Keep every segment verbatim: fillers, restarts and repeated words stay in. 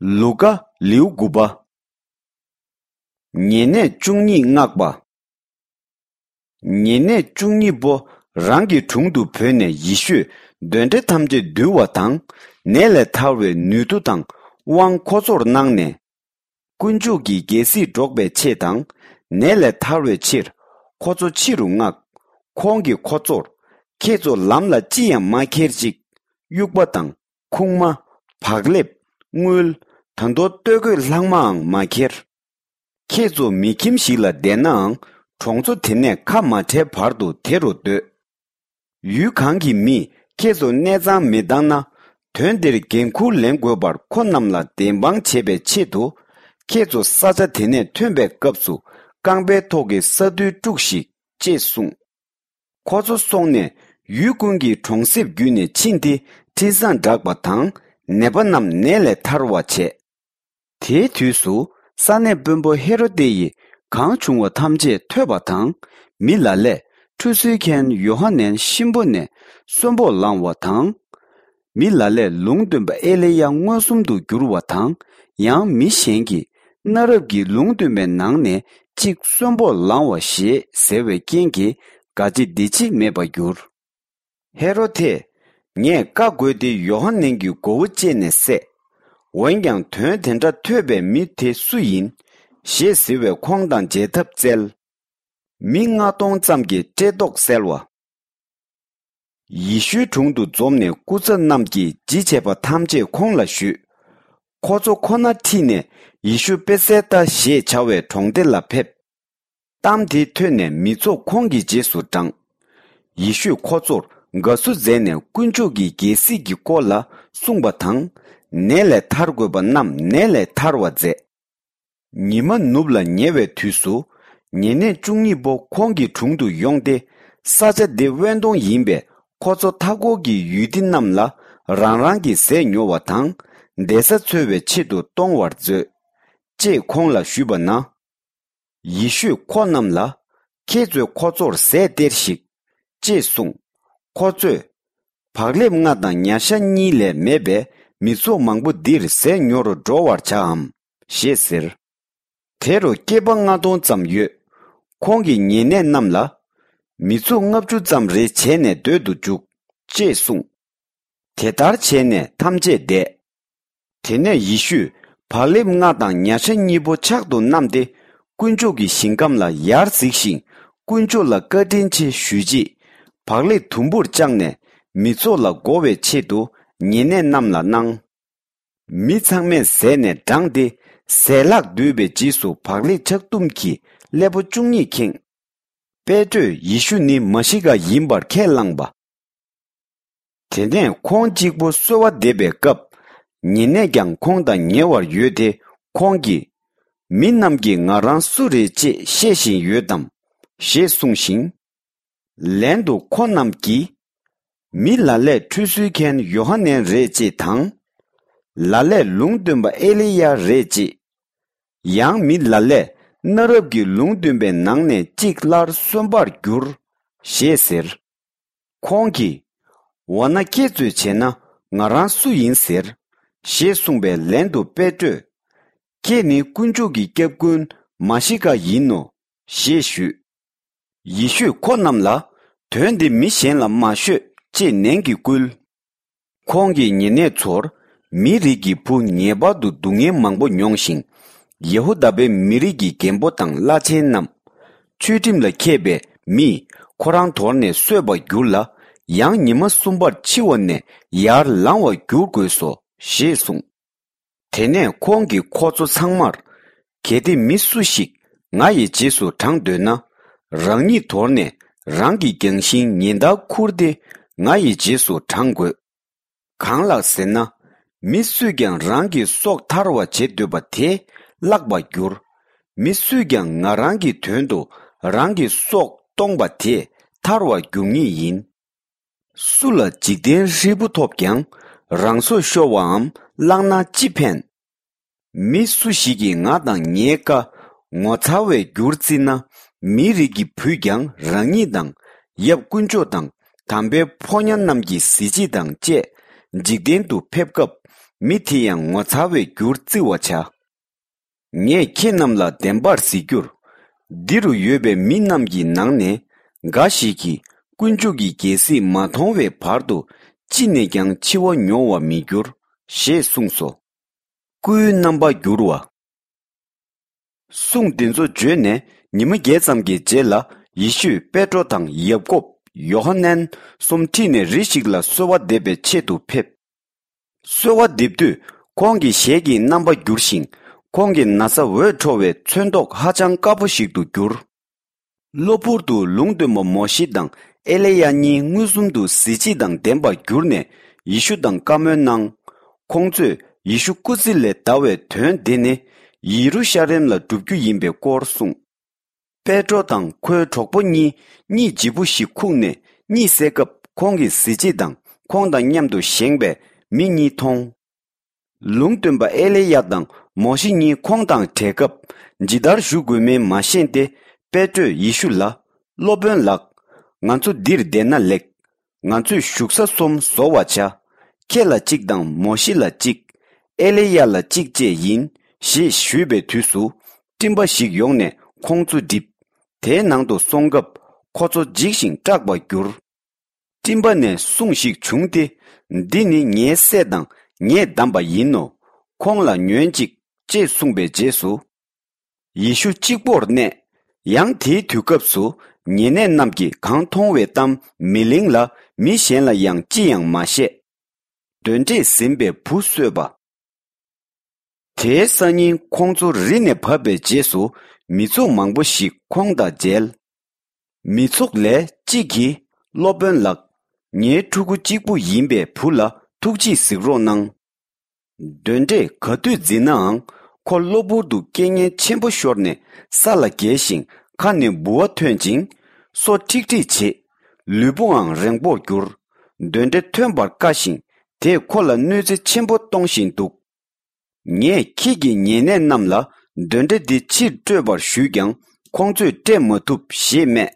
ལུ་ཀ། ལེའུ་དགུ་པ། ཉེ་གནས་བཅུ་གཉིས་མངགས་པ། ཉེ་གནས་བཅུ་གཉིས་པོ་རང་གི་དྲུང་དུ་བོས་ནས་ཡེ་ཤུས་གདོན་འདྲེ་ཐམས་ཅད་འདུལ་བ་དང་། ནད་ལས་ཐར་བའི་ནུས་མཐུ་དང་དབང་ཁོ་ཚོར་གནང་ནས། དཀོན་མཆོག་གི་རྒྱལ་སྲིད་སྒྲོག་པའི་ཆེད་དང་། ནད་ལས་ཐར་བའི་ཕྱིར་ཁོ་ཚོ་ཕྱི་རུ་མངགས། ཁོང་གིས་ཁོ་ཚོར། ཁྱེད་ཚོ་ལམ་ལ་ཅི་ཡང་མ་ཁྱེར་ཅིག། དབྱུག་པ་དང་། ཁུག་མ། བག་ལེབ། དངུལ། ད་དུང་སྟོད་གོས་ལྷག་མའང་མ་ཁྱེར། ཁྱེད་ཚོ་མི་ཁྱིམ་ཞིག་ལ་བསྡད་ནའང་གྲོང་ཚོ་དེ་ནས་ཁ་མ་བྲལ་བར་དུ་དེ་རུ་སྡོད། ཡུལ་གང་གི་མིས་ཁྱེད་ཚོ་གནས་ཚང་མི་བཏང་ན། དོན་འདིར་འགན་འཁུར་ལེན་དགོས་པར་ཁོ་རྣམས་ལ་བདེན་དཔང་བྱེད་པའི་ཆེད་དུ། ཁྱེད་ཚོ་ས་ཆ་དེ་ནས་ཐོན་པའི་སྐབས་སུ་རྐང་པའི་ཐོག་གི་ས་རྡུལ་དཀྲུགས་ཤིག། ཅེས་གསུངས། ཁོ་ཚོ་སོང་ནས་ཡུལ་ཀུན་གྱི་གྲོང་གསེབ་བརྒྱུད་ནས་ཕྱིན་ཏེ་འཕྲིན་བཟང་བསྒྲགས་པ་དང་། ནད་པ་རྣམས་ནད་ལས་ཐར་བར་བྱས། དེའི་དུས་སུ་ས་གནས་དཔོན་པོ་ཧེ་རོ་ཏེ་ཡིས་གང་བྱུང་བ་ཐམས་ཅད་ཐོས་པ་དང་། མི་ལ་ལས་ཁྲུས་གསོལ་མཁན་ཡོ་ཧ་ནན་གཤིན་པོ་ནས་གསོན་པོར་ལངས་བ་དང་། མི་ལ་ལས་ལུང་སྟོན་པ་ཨེ་ལི་ཡ་མངོན་སུམ་དུ་འགྱུར་བ་དང་། ཡང་མི་གཞན་གྱིས་གནའ་རབས་ཀྱི་ལུང་སྟོན་པའི་ནང་ནས་གཅིག་གསོན་པོར་ལངས་བ་ཞེས་ཟེར་བའི་རྐྱེན་གྱིས་ག་ཅི་འདི་ཅི་མེད་པར་གྱུར། ཧེ་རོ་དེས། ངས་བཀའ་བསྒོས་ཏེ་ཡོ་ཧ་ནན་གྱི་མགོ་བོ་བཅད་ནས་བསད། འོན་ཀྱང་དོན་དེ་འདྲ་ཐོས་པའི་མི་དེ་སུ་ཡིན། ཞེས་ཟེར་བས་ཁོང་དང་མཇལ་ཐབས་བཙལ། མི་ལྔ་སྟོང་ཙམ་གྱི་བཀྲེས་ལྟོགས་བསལ་བ། ཡེ་ཤུའི་དྲུང་དུ་འཛོམས་ནས་སྐུ་ཚབ་རྣམས་ཀྱིས་ཇི་བྱས་པ་ཐམས་ཅད་ཁོང་ལ་ཞུས། ཁོ་ཚོ་ཁོ་ན་ཁྲིད་ནས་ཡེ་ཤུ་པེ་སེ་ཏ་ཞེས་བྱ་བའི་གྲོང་སྡེ་ལ་ཕེབས། གཏམ་དེ་ཐོས་ནས་མི་ཚོགས་ཁོང་གི་རྗེས་སུ་འབྲངས། ཡེ་ཤུས་ཁོ་ཚོར་དགའ་བསུ་མཛད་ནས་དཀོན་མཆོག་གི་རྒྱལ་སྲིད་ཀྱི་སྐོར་ལ་གསུངས་པ་དང་། ནད་ལས་ཐར་དགོས་པ་རྣམས་ནད་ལས་ཐར་བར་མཛད། ཉི་མ་ནུབ་ལ་ཉེ་བའི་དུས་སུ། ཉེ་གནས་བཅུ་གཉིས་པོ་ཁོང་གི་དྲུང་དུ་ཡོང་སྟེ། ས་ཆ་འདི་དབེན་སྟོང་ཡིན་པས་ཁོ་ཚོ་མཐའ་འཁོར་གྱི་ཡུལ་སྡེ་རྣམས་ལ་རང་རང་གི་ཟས་ཉོ་བ་དང་། བསྡད་ས་འཚོལ་བའི་ཆེད་དུ་གཏོང་བར་མཛོད། ཅེས་ཁོང་ལ་ཞུས་པ་ན། ཡེ་ཤུས་ཁོ་རྣམས་ལ། ཁྱེད་ཚོས་ཁོ་ཚོར་ཟས་སྟེར་ཞིག། ཅེས་གསུངས། ཁོ་ཚོས། བག་ལེབ་ལྔ་དང་ཉ་ཤ་གཉིས་ལས་མེད་པས་མི་ཚོགས་མང་པོ་འདིར་ཟས་ཉོ་རུ་འགྲོ་བར་བྱའམ། ཞེས་ཟེར། དེ་རུ་སྐྱེས་པ་ལྔ་སྟོང་ཙམ་ཡོད། ཁོང་གིས་ཉེ་གནས་རྣམས་ལ། མི་ཚོགས་ལྔ་བཅུ་ཙམ་རེ་བྱས་ནས་སྡོད་དུ་འཇུག། ཅེས་གསུངས། དེ་ལྟར་བྱས་ནས་ཐམས་ཅད་བསྡད། དེ་ནས་ཡེ་ཤུས་བག་ལེབ་ལྔ་དང་ཉ་ཤ་གཉིས་པོ་ཕྱག་ཏུ་བསྣམས་ཏེ། དཀོན་མཆོག་གི་ཞིང་ཁམས་ལ་ཡར་གཟིགས་ཤིང་། དཀོན་མཆོག་ལ་བཀའ་དྲིན་ཆེ་ཞུས་རྗེས། བག་ལེབ་དུམ་བུར་བཅག་ནས། མི་ཚོགས་ལ་བགོ་བའི་ཆེད་དུ། ཉེ་གནས་རྣམས་ལ་གནང་། མི་ཚང་མས་ཟས་ནས་འགྲངས་ཏེ། ཟས་ལྷག་བསྡུས་པའི་རྗེས་སུ་བག་ལེབ་ཆག་དུམ་གྱིས་སླེ་པོ་བཅུ་གཉིས་ཁེངས། པེ་ཏྲོས་ཡེ་ཤུ་ནི་མ་ཤི་ཀ་ཡིན་པར་ཁས་བླངས་པ། དེ་ནས་ཁོང་གཅིག་པུ་གསོལ་བ་འདེབས་པའི་སྐབས། ཉེ་གནས་ཀྱང་ཁོང་དང་ཉེ་བར་ཡོད་དེ། ཁོང་གིས། མི་རྣམས་ཀྱིས་ང་རང་སུ་རེད་ཅེས་བཤད་བཞིན་ཡོད་དམ། ཞེས་གསུངས་ཤིང་། ལན་དུ་ཁོ་རྣམས་ཀྱིས། མི་ལ་ལས་ཁྲུས་གསོལ་མཁན་ཡོ་ཧ་ནན་རེད་ཅེས་དང་། ལ་ལས་ལུང་སྟོན་པ་ཨེ་ལི་ཡ་རེད་ཅེས། ཡང་མི་ལ་ལས་གནའ་རབས་ཀྱི་ལུང་སྟོན་པའི་ནང་ནས་གཅིག་སླར་གསོན་པར་འགྱུར། ཞེས་ཟེར། ཁོང་གིས། འོ་ན་ཁྱེད་ཚོས་བྱས་ན་ང་རང་སུ་ཡིན་ཟེར། ཞེས་གསུངས་པའི་ལན་དུ་པེ་ཏྲོས། ཁྱེད་ནི་དཀོན་མཆོག་གི་སྐྱབས་མགོན་མ་ཤི་ཀ་ཡིན་ནོ། ཞེས་ཞུས། ཡེ་ཤུས་ཁོ་རྣམས་ལ། དོན་འདི་མི་གཞན་ལ་མ་ཤོད། ཅེས་ནན་གྱིས་བསྐུལ། ཁོང་གིས་ཉེ་གནས་ཚོར། མིའི་རིགས་ཀྱི་བུ་ངེས་པར་དུ་སྡུག་བསྔལ་མང་པོ་མྱོང་ཞིང་། ཡེ་ཧུ་དཱ་པའི་མི་རིགས་ཀྱི་རྒན་པོ་དང་བླ་ཆེན་རྣམས། ཆོས་ཁྲིམས་ལ་མཁས་པའི་མིས་ཁོ་རང་དོར་ནས་གསོད་པར་འགྱུར་ལ། ཡང་ཉི་མ་གསུམ་པར་འཆི་བ་ནས་ཡར་ལངས་པར་འགྱུར་དགོས་སོ། ཞེས་གསུངས། དེ་ནས་ཁོང་གིས་ཁོ་ཚོ་ཚང་མར། གལ་ཏེ་མི་སུ་ཞིག་ང་ཡི་རྗེས་སུ་འབྲང་འདོད་ན། རང་ཉིད་དོར་ནས་རང་གི་རྒྱང་ཤིང་ཉིན་ལྟར་ཁུར་ཏེ་ང་ཡི་རྗེས་སུ་འབྲང་དགོས། གང་ལགས་ཟེར་ན། མི་སུས་ཀྱང་རང་གི་སྲོག་ཐར་བར་བྱེད་འདོད་པ་དེ་བརླག་པར་འགྱུར། མི་སུས་ཀྱང་ང་རང་གི་དོན་དུ་རང་གི་སྲོག་གཏོང་པ་དེ་ཐར་བར་འགྱུར་ངེས་ཡིན། སུ་ལ་འཇིག་རྟེན་ཧྲིལ་པོ་ཐོབ་ཀྱང་། རང་སྲོག་ཤོར་བའམ་བརླག་ན་ཅི་ཕན། མི་སུ་ཞིག་གིས་ང་དང་ངའི་བཀའ་ངོ་ཚ་བའི་རྒྱུར་བརྩིས་ན། མིའི་རིགས་ཀྱི་བུས་ཀྱང་རང་ཉིད་དང་། ཡབ་དཀོན་མཆོག་དང་། དམ་པའི་ཕོ་ཉ་རྣམས་ཀྱི་གཟི་བརྗིད་དང་བཅས། འཇིག་རྟེན་དུ་ཕེབས་སྐབས། མི་དེ་ཡང་ངོ་མཚར་བའི་རྒྱུར་བརྩི་བར་བྱ། ངས་ཁྱེད་རྣམས་ལ་བདེན་པར་ཟེར་རྒྱུར། འདི་རུ་ཡོད་པའི་མི་རྣམས་ཀྱི་ནང་ནས་འགའ་ཞིག་གིས་དཀོན་མཆོག་གི་རྒྱལ་སྲིད་མ་མཐོང་བའི་བར་དུ་ཅི་ནས་ཀྱང་འཆི་བ་མྱོང་བ་མི་འགྱུར་ཞེས་གསུངས་སོ། སྐུའི་རྣམ་པ་འགྱུར་བ། གསུང་འདི་ཚོ་བརྗོད་ནས་ཉི་མ་བརྒྱད་ཙམ་གྱི་རྗེས་ལ། ཡེ་ཤུས་པེ་ཏྲོ་དང་ཡ་ཀོབ། ཡོ་ཧ་ནན་གསུམ་ཁྲིད་ནས་རི་ཞིག་ལ་གསོལ་བ་འདེབས་པའི་ཆེད་དུ་ཕེབས། གསོལ་བ་འདེབས་དུས་ཁོང་གི་ཞལ་གྱི་རྣམ་པ་འགྱུར་ཞིང་། ཁོང་གི་ན་བཟའ་འོད་འཕྲོ་བའི་ཚོན་མདོག་ཧ་ཅང་དཀར་པོ་ཞིག་ཏུ་གྱུར། གློ་བུར་དུ་ལུང་སྟོན་པ་མོ་ཤེ་དང་ཨེ་ལེ་ཡ་གཉིས་མངོན་སུམ་དུ་གཟི་བརྗིད་དང་ལྡན་པར་གྱུར་ནས་ཡེ་ཤུ་དང་བཀའ་མོལ་གནང་། ཁོང་ཚོས་ཡེ་ཤུ་སྐུ་ཚེ་ལས་འདའ་བའི་དོན་དེ་ནི་ཡེ་རུ་ཤ་ལེམ་ལ་འགྲུབ་རྒྱུ་ཡིན་པའི་སྐོར་གསུངས། པེ་ཏྲོ་དང་ཁོའི་གྲོགས་པོ་གཉིས་གཉིད་ལྗིད་པོ་ཞིག་ཁུག་ནས་གཉིད་སད་སྐབས། ཁོང་གི་གཟི་བརྗིད་དང་ཁོང་དང་མཉམ་དུ་བཞེངས་པའི་མི་གཉིས་མཐོང་། ལུང་སྟོན་པ་ཨེ་ལེ་ཡ་དང་མོ་ཤེ་གཉིས་ཁོང་དང་བྲལ་སྐབས། ཇི་ལྟར་བཞུགས་དགོས་མིན་མ་ཤེས་ཏེ། པེ་ཏྲོས་ཡེ་ཤུ་ལ། སློབ་དཔོན་ལགས། ང་ཚོ་འདིར་བསྡད་ན་ལེགས། ང་ཚོས་བཞུགས་ས་གསུམ་བཟོ་བར་བྱ། ཁྱེད་ལ་གཅིག་དང་མོ་ཤེ་ལ་གཅིག་ཨེ་ལེ་ཡ་ལ་གཅིག་བཅས་ཡིན། ཞེས་ཞུས་པའི་དུས་སུ། སྤྲིན་པ་ཞིག་ཡོང་ནས་ཁོང་ཚོ་བསྒྲིབས། དེའི་ནང་དུ་སོང་སྐབས། ཁོ་ཚོ་འཇིགས་ཤིང་སྐྲག་པར་གྱུར། སྤྲིན་པ་ནས་གསུང་ཞིག་བྱུང་སྟེ། འདི་ནི་ངའི་སྲས་དང་ངས་བདམས་པ་ཡིན་ནོ། ཁོང་ལ་ཉོན་ཅིག་ཅེས་གསུངས་པའི་རྗེས་སུ། ཡེ་ཤུ་གཅིག་པོར་གནས། ཡང་དེའི་དུས་སྐབས་སུ་ཉེ་གནས་རྣམས་ཀྱིས་གང་མཐོང་བའི་གཏམ་མི་གླེང་ལ། མི་གཞན་ལ་ཡང་ཅི་ཡང་མ་བཤད། གདོན་འདྲེས་ཟིན་པའི་བུ་གསོས་པ། དེའི་སང་ཉིན་ཁོང་ཚོ་རི་ནས་བབས་པའི་རྗེས་སུ་མི་ཚོགས་མང་པོ་ཞིག་ཁོང་དང་མཇལ། མི་ཚོགས་ལས་གཅིག་གིས། སློབ་དཔོན་ལགས། ངའི་ཕྲུ་གུ་གཅིག་པུ་ཡིན་པའི་བུ་ལ་ཐུགས་རྗེས་གཟིགས་རོགས་གནང་། གདོན་འདྲེས་ག་དུས་འཛིན་ནའང་། ཁོ་གློ་བུར་དུ་རྐྱེན་ངན་ཆེན་པོ་ཤོར་ནས་ས་ལ་འགྱེལ་ཞིང་། ཁ་ནས་ལྦུ་བ་ཐོན་ཅིང་། སོ་ཁྲིག་ཁྲིག་བྱེད། ལུས་པོའང་རེངས་པོར་གྱུར། གདོན་འདྲེ་ཐོན་པར་དཀའ་ཞིང་། དེས་ཁོ་ལ་གནོད་འཚེ་ཆེན་པོ་གཏོང་བཞིན་འདུག་ངས་ཁྱེད་ཀྱི་ཉེ་གནས་རྣམས་ལ་གདོན་འདྲེ་འདི་ཕྱིར་སྤྲོད་པར་ཞུས་ཀྱང་ཁོང་ཚོས་སྤྲད་མ་ཐུབ་ཞེས་སྨྲས།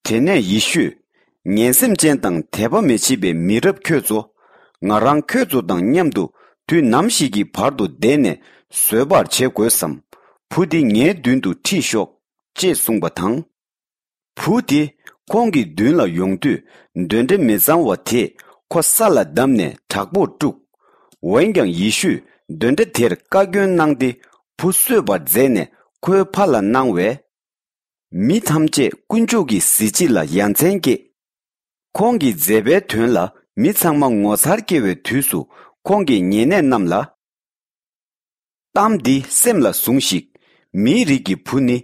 དེ་ནས་ཡེ་ཤུས། ངན་སེམས་ཅན་དང་དད་པ་མི་བྱེད་པའི་མི་རབས་ཁྱོད་ཚོ། ང་རང་ཁྱོད་ཚོ་དང་མཉམ་དུ་དུས་ནམ་ཞིག་གི་བར་དུ་བསྡད་ནས་བཟོད་པར་བྱེད་དགོས་སམ། བུ་འདི་ངའི་མདུན་དུ་ཁྲིད་ཤོག་ཅེས་གསུངས་པ་དང་། བུ་དེ་ཁོང་གི་མདུན་ལ་ཡོང་དུས། གདོན་འདྲེ་མི་གཙང་བ་དེས་ཁོ་ས་ལ་བསྡམས་ནས་དྲག་པོར་དཀྲུགས། འོན་ཀྱང་ཡེ་ཤུས་གདོན་འདྲེ་དེར་བཀའ་བཀྱོན་གནང་སྟེ། བུ་གསོས་པར་མཛད་ནས་ཁོའི་ཕ་ལ་གནང་བས། མི་ཐམས་ཅད་དཀོན་མཆོག་གི་གཟི་བརྗིད་ལ་ཡ་མཚན་སྐྱེས། ཁོང་གི་མཛད་པའི་དོན་ལ་མི་ཚང་མ་ངོ་མཚར་སྐྱེ་བའི་དུས་སུ། ཁོང་གིས་ཉེ་གནས་རྣམས་ལ། གཏམ་འདི་སེམས་ལ་ཟུངས་ཤིག་མིའི་རིགས་ཀྱི་བུ་ནི་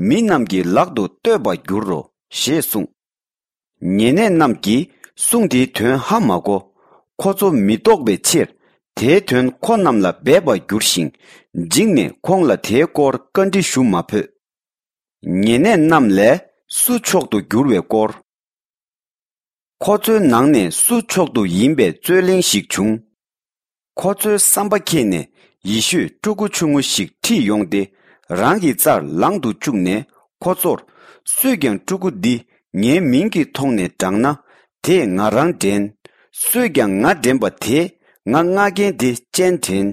མི་རྣམས་ཀྱི་ལག་ཏུ་གཏོད་པར་འགྱུར་རོ། ཞེས་གསུངས། ཉེ་གནས་རྣམས་ཀྱིས་གསུང་དེའི་དོན་ཧ་མ་གོ། ཁོ་ཚོ་མི་རྟོགས་པའི་ཕྱིར། དེའི་དོན་ཁོ་རྣམས་ལ་སྦས་པར་འགྱུར་ཞིང་། འཇིགས་ནས་ཁོང་ལ་དེའི་སྐོར་བཀའ་འདྲི་ཞུ་མ་ཕོད། ཉེ་གནས་རྣམས་ལས་སུ་མཆོག་ཏུ་འགྱུར་བའི་སྐོར། ཁོ་ཚོའི་ནང་ནས་སུ་མཆོག་ཏུ་ཡིན་པའི་རྩོད་གླེང་ཞིག་བྱུང་། ཁོ་ཚོའི་བསམ་པ་ཁེངས་ནས་ཡེ་ཤུས་ཕྲུ་གུ་ཆུང་ངུ་ཞིག་ཁྲིད་ཡོང་སྟེ། རང་གི་རྩར་ལང་དུ་བཅུག་ནས་ཁོ་ཚོར། སུས་ཀྱང་ཕྲུ་གུ་འདི་ངའི་མིང་གི་ཐོག་ནས་བགྲངས་ན། དེས་ང་རང་འདྲེན། སུས་ཀྱང་ང་འདྲེན་པ་དེས་ང་མངགས་མཁན་དེ་སྤྱན་འདྲེན།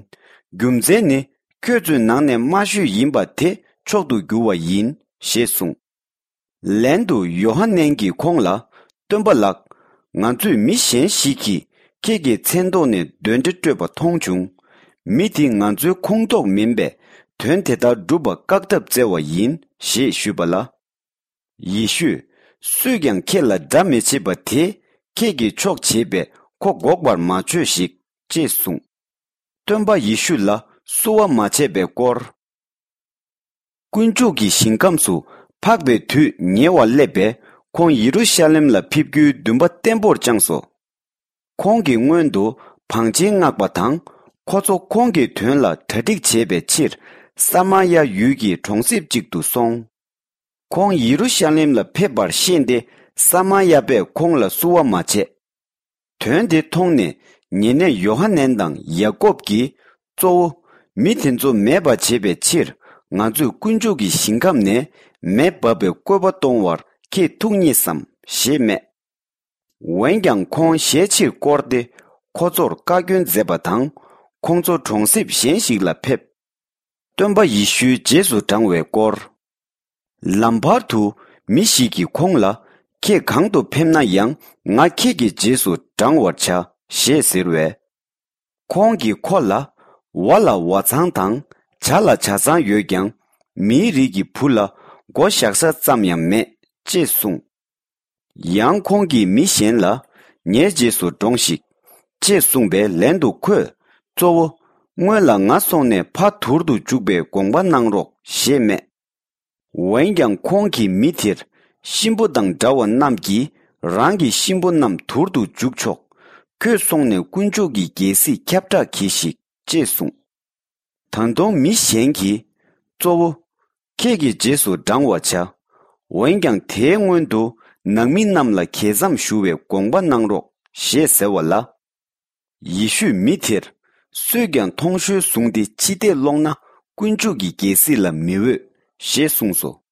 རྒྱུ་མཚན་ནི། ཁྱོད་ཚོའི་ནང་ནས་དམའ་ཤོས་ཡིན་པ་དེ་མཆོག་ཏུ་འགྱུར་བ་ཡིན། ཞེས་གསུངས། ལན་དུ་ཡོ་ཧ་ནན་གྱིས་ཁོང་ལ། སྟོན་པ་ལགས། ང་ཚོས་མི་གཞན་ཞིག་གིས་ཁྱེད་ཀྱི་མཚན་ཐོག་ནས་གདོན་འདྲེ་སྐྲོད་པ་མཐོང་བྱུང་། མི་དེ་ང་ཚོའི་ཁོངས་གཏོགས་མིན་པས། དོན་དེ་ལྟར་སྒྲུབ་པ་བཀག་ཐབས་བཙལ་བ་ཡིན། ཞེས་ཞུས་པ་ལ། ཡེ་ཤུས། སུས་ཀྱང་ཁྱེད་ལ་དགྲ་མི་བྱེད་པ་དེ། ཁྱེད་ཀྱིས་ཕྱོགས་བྱེད་པས་ཁོ་འགོག་པར་མ་བྱོས་ཤིག་ཅེས་གསུངས། སྟོན་པ་ཡེ་ཤུ་ལ་བསུ་བ་མ་བྱས་པའི་སྐོར། དཀོན་མཆོག་གི་ཞིང་ཁམས་སུ་འཕགས་པའི་དུས་ཉེ་བར་སླེབས་པས། ཁོང་ཡེ་རུ་ཤ་ལེམ་ལ་ཕེབས་རྒྱུའི་འདུན་པ་བརྟན་པོར་བཅངས་སོ། ཁོང་གི་སྔོན་དུ་བང་ཆེན་མངགས་པ་དང་། ཁོ་ཚོ་ཁོང་གི་དོན་ལ་གྲ་སྒྲིག་བྱེད་པའི་ཕྱིར། ས་མར་ཡ་ཡུལ་གྱི་གྲོང་གསེབ་ཅིག་ཏུ་སོང་། ཁོང་ཡེ་རུ་ཤ་ལེམ་ལ་ཕེབས་པར་ཤེས་ཏེ། ས་མར་ཡ་པས་ཁོང་ལ་བསུ་བ་མ་བྱས། དོན་དེ་མཐོང་ནས། ཉེ་གནས་ཡོ་ཧ་ནན་དང་ཡ་ཀོབ་ཀྱིས། གཙོ་བོ། མི་དེ་ཚོ་མེད་པར་བྱེད་པའི་ཕྱིར། ང་ཚོས་དཀོན་མཆོག་གི་ཞིང་ཁམས་ནས་མེ་འབབ་པའི་བཀོད་པ་གཏོང་བར་ཁྱེད་ཐུགས་མཉེས་སམ། ཞེས་སྨྲས། འོན་ཀྱང་ཁོང་ཞལ་ཕྱིར་བསྐོར་ཏེ། ཁོ་ཚོར་བཀའ་བཀྱོན་མཛད་པ་དང་། ཁོང་ཚོ་གྲོང་གསེབ་གཞན་ཞིག་ལ་ཕེབས། སྟོན་པ་ཡེ་ཤུའི་རྗེས་སུ་འབྲང་བའི་སྐོར། ལམ་བར་དུ་མི་ཞིག་གིས་ཁོང་ལ། ཁྱེད་གང་དུ་ཕེབས་ན་ཡང་ང་ཁྱེད་ཀྱི་རྗེས་སུ་འབྲང་བར་བྱ་ཞེས་ཟེར་བས། ཁོང་གིས་ཁོ་ལ། ཝ་ལ་ཝ་ཚང་དང་ཇ་ལ་ཇ་ཚང་ཡོད་ཀྱང་མིའི་རིགས་ཀྱི་བུ་ལ་མགོ་བཞག་ས་ཙམ་ཡང་མེད་ཅེས་གསུངས། ཡང་ཁོང་གིས་མི་གཞན་ལ། ངའི་རྗེས་སུ་འབྲོངས་ཤིག་ཅེས་གསུངས་པའི་ལན་དུ་ཁོས། གཙོ་བོ། སྔོན་ལ་ང་སོང་ནས་ཕ་དུར་དུ་འཇུག་པའི་དགོངས་པ་གནང་རོགས་ཞེས་སྨྲས། འོན་ཀྱང་ཁོང་གིས་མི་དེར། གཤིན་པོ་དང་འདྲ་བ་རྣམས་ཀྱིས་རང་གི་གཤིན་པོ་རྣམས་དུར་དུ་འཇུག་ཆོག་ཁྱོད་སོང་ནས་དཀོན་མཆོག་གི་རྒྱལ་སྲིད་ཁྱབ་བསྒྲགས་གྱིས་ཤིག་ཅེས་གསུངས། ད་དུང་མི་གཞན་གྱིས། གཙོ་བོ། ཁྱེད་ཀྱི་རྗེས་སུ་འབྲང་བར་བྱ། འོན་ཀྱང་དེའི་སྔོན་དུ་ནང་མི་རྣམས་ལ་གྱེས་མཚམས་ཞུ་བའི་དགོངས་པ་གནང་རོགས་ཞེས་ཟེར་བ་ལ། ཡེ་ཤུས་མི་དེར། སུས་ཀྱང་མཐོང་གཤོལ་བཟུང་སྟེ་ཕྱི་བལྟས་སློང་ན་དཀོན་མཆོག་གི་རྒྱལ་སྲིད་ལ་མི་འོས་ཞེས་གསུངས་སོ།